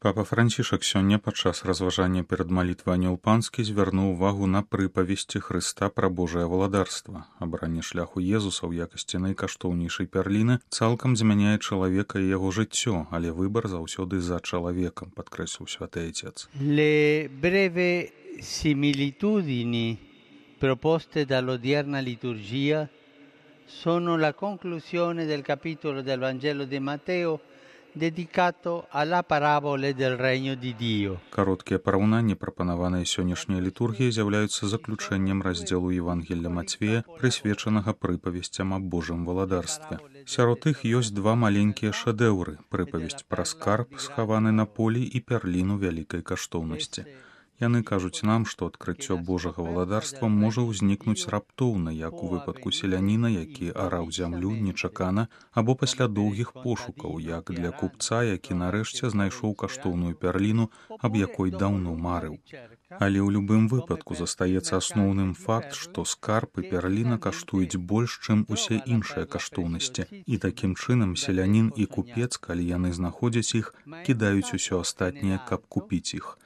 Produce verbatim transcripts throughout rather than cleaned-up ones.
Папа Францішак сёння падчас разважання перад малітвай Анёл Панскі звярнуў увагу на прыпавесці Хрыста пра Божае валадарства. Абранне шляху Езуса ў якасці найкаштоўнейшай пярліны цалкам змяняе чалавека і яго жыццё, але выбар заўсёды за чалавекам, падкрэсліў святы Отец. Le breve similitudini proposte dall'odierna liturgia sono la conclusione del capitolo del Vangelo di Matteo dedicato alla parabole del Regno di Dio. Кароткія параўнанні, прапанаваныя сённяшняй літургіяй, з'яўляюцца заключэннем раздзелу Евангелля Мацвея, прысвечанага прыпавесцям аб Божым валадарстве. Сярод іх ёсць два маленькія шэдэўры: прыпавесць пра скарб, схаваны на полі, і пярліну вялікай каштоўнасці. Яны кажуць нам, што адкрыццё Божага валадарства можа ўзнікнуць раптоўна, як у выпадку селяніна, які араў зямлю нечакана, або пасля доўгіх пошукаў, як для купца, які нарэшце знайшоў каштоўную пярліну, аб якой даўно марыў. Але ў любым выпадку застаецца асноўным факт, што скарб і пярліна каштуюць больш, чым усе іншыя каштоўнасці. І такім чынам селянін і купец, калі яны знаходзяць іх, кідаюць усё астатняе, каб купіць іх.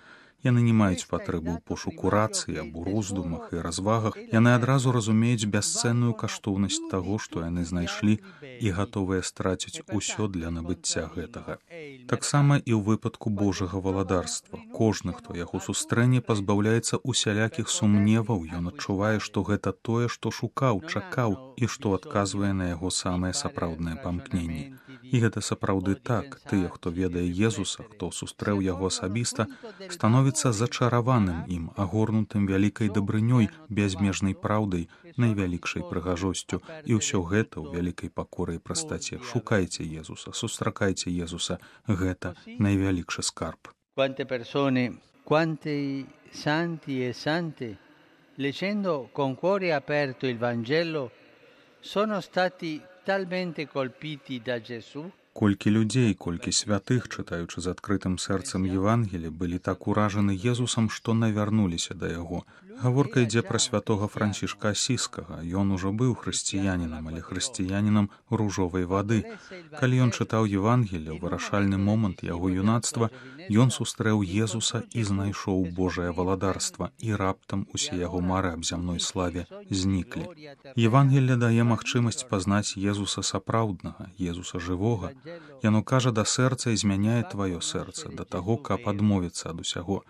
Яны не маюць патрэбы ў пошуку рацыі або роздумах і развагах. Яны адразу разумеюць бясцэнную каштоўнасць таго, што яны знайшлі, і гатовыя страціць усё для набыцця гэтага. Таксама і ў выпадку Божага валадарства. Кожны, хто яго сустрэне, пазбаўляецца усялякіх сумневаў. Ён адчувае, што гэта тое, што шукаў, чакаў, і што адказвае на яго самыя сапраўдныя памкненні. І гэта сапраўды так. Тыя, хто ведае Езуса, хто сустрэў яго асабіста, становіцца зачараваным ім, агорнутым вялікай дабрынёй, бязмежнай праўдай, найвялікшай прыгажосцю. І ўсё гэта ў вялікай пакоры і прастаце. Шукайце Езуса, сустракайце Езуса. Гэта найвялікшы скарб. Quante persone, quanti santi e sante, leggendo con cuore aperto il Vangelo, sono stati talmente colpiti da Gesù. Колькі людзей, колькі святых, чытаючы з адкрытым сэрцам Евангелі, былі так уражаны Езусам, што навярнуліся да яго. Гаворка ідзе пра святога Францішка Асіскага. Ён ужо быў хрысціянінам, але хрысціянінам ружовай вады. Калі ён чытаў Евангелле, у вырашальны момант яго юнацтва, ён сустрэў Езуса і знайшоў Божае валадарства, і раптам усе яго мары аб зямной славе зніклі. Евангелле дае магчымасць пазнаць Езуса сапраўднага, Езуса жывога. Яно кажа да сэрца і змяняе тваё сэрца, да таго, каб адмовіцца ад усяго.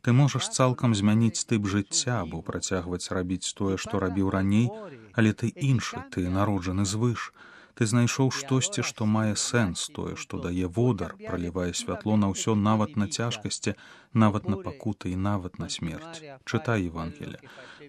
Ты можаш цалкам змяніць тып жыцця або працягваць рабіць тое, што рабіў раней, але ты іншы, ты народжаны звыш. Ты знайшоў штосьці, што мае сэнс, тое, што дае водар, пралівае святло на ўсё, нават на цяжкасці, нават на пакуты і нават на смерць. Чытай Евангелле.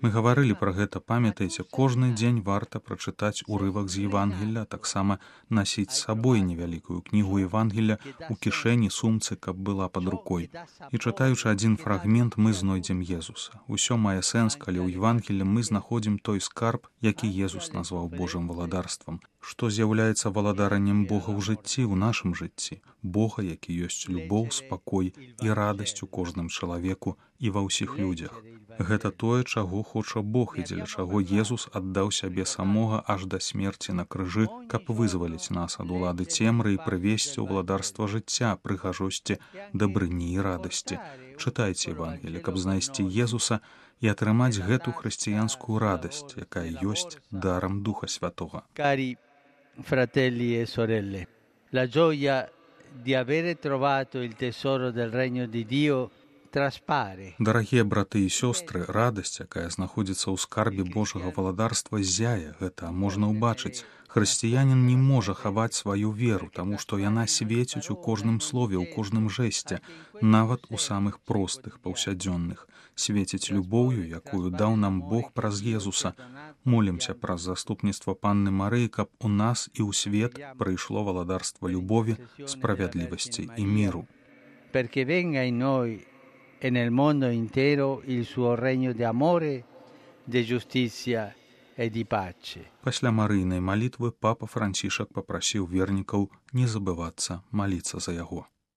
Мы гаварылі пра гэта, памятаеце, кожны дзень варта прачытаць урывак з Евангелля, таксама насіць з сабой невялікую кнігу Евангелля у кішэні, сумцы, каб была пад рукой. І чытаючы адзін фрагмент, мы знойдзем Езуса. Усё мае сэнс, калі ў Евангелле мы знаходзім той скарб, які Езус назваў Божым валадарствам. Што з'яўляецца валадараннем Бога ў жыцці, ў нашым жыцці. Бога, які ёсць любоў, спакой і радасць у кожным чалавеку і ва ўсіх людзях. Гэта тое, чаго хоча Бог і дзеля чаго Езус аддаў сябе самога аж да смерці на крыжы, каб вызваліць нас ад улады цемры і прывесці ў валадарства жыцця, прыгажосці, дабрыні і радасці. Чытайце Евангелле, каб знайсці Езуса і атрымаць гэту хрысціянскую радасць, якая ёсць дарам Духа Святога. Cari fratelli e sorelle, la gioia di avere trovato il tesoro del Regno di Dio traspare. Дарагія браты і сёстры, радасць, якая знаходзіцца ў скарбе Божага валадарства, зяе. Гэта можна ўбачыць. Хрысціянін не можа хаваць сваю веру, таму што яна свеціць у кожным слове, у кожным жэсце, нават у самых простых, паўсядзённых. Свеціць любоўю, якую даў нам Бог праз Езуса. Молімся праз заступніцтва Панны Марыі, каб у нас і ў свет прыйшло валадарства любові, справядлівасці і міру. Perché venga in noi e nel mondo intero il suo regno di amore, di giustizia e di pace. Пасля марыйнай малітвы папа Францішак папрасіў вернікаў не забывацца маліцца за яго.